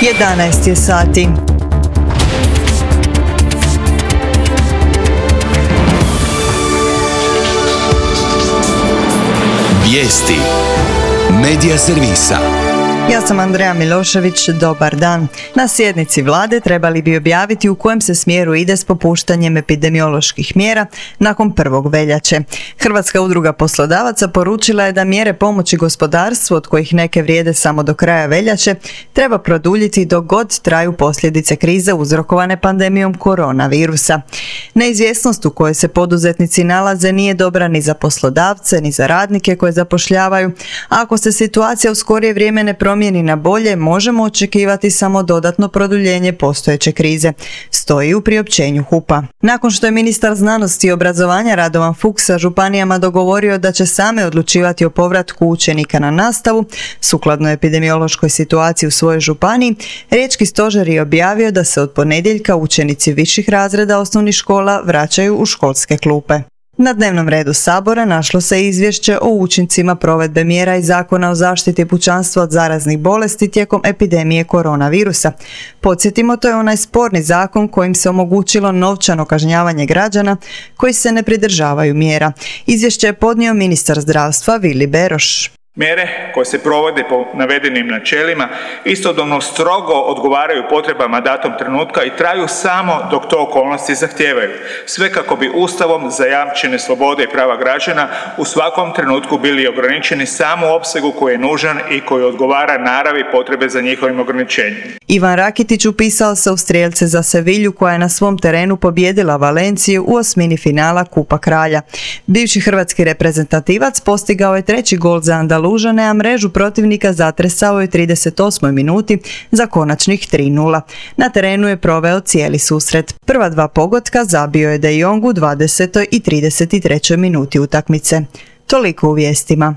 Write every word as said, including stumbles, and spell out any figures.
jedanaest je sati. Vijesti Medija servisa. Ja sam Andreja Milošević, dobar dan. Na sjednici vlade trebali bi objaviti u kojem se smjeru ide s popuštanjem epidemioloških mjera nakon prvog veljače. Hrvatska udruga poslodavaca poručila je da mjere pomoći gospodarstvu, od kojih neke vrijede samo do kraja veljače, treba produljiti dok god traju posljedice krize uzrokovane pandemijom koronavirusa. Neizvjesnost u kojoj se poduzetnici nalaze nije dobra ni za poslodavce, ni za radnike koje zapošljavaju, a ako se situacija u skorije vrijeme ne promijeni na bolje, možemo očekivati samo dodatno produljenje postojeće krize, stoji u priopćenju HUP-a. Nakon što je ministar znanosti i obrazovanja Radovan Fuchs sa županijama dogovorio da će same odlučivati o povratku učenika na nastavu, sukladno epidemiološkoj situaciji u svojoj županiji, Riječki stožer je objavio da se od ponedjeljka učenici viših razreda osnovnih škola vraćaju u školske klupe. Na dnevnom redu Sabora našlo se izvješće o učincima provedbe mjera iz Zakona o zaštiti pučanstva od zaraznih bolesti tijekom epidemije koronavirusa. Podsjetimo, to je onaj sporni zakon kojim se omogućilo novčano kažnjavanje građana koji se ne pridržavaju mjera. Izvješće je podnio ministar zdravstva Vili Beroš. Mjere koje se provode po navedenim načelima istodobno strogo odgovaraju potrebama datog trenutka i traju samo dok to okolnosti zahtijevaju. Sve kako bi Ustavom zajamčene slobode i prava građana u svakom trenutku bili ograničeni samo u opsegu koji je nužan i koji odgovara naravi potrebe za njihovim ograničenjem. Ivan Rakitić upisao se u strijelce za Sevilju koja je na svom terenu pobijedila Valenciju u osmini finala Kupa kralja. Bivši hrvatski reprezentativac postigao je treći gol za Andalužane, a mrežu protivnika zatresao je u trideset osmoj minuti za konačnih tri nula. Na terenu je proveo cijeli susret. Prva dva pogotka zabio je De Jong u dvadesetoj i trideset trećoj minuti utakmice. Toliko u vijestima.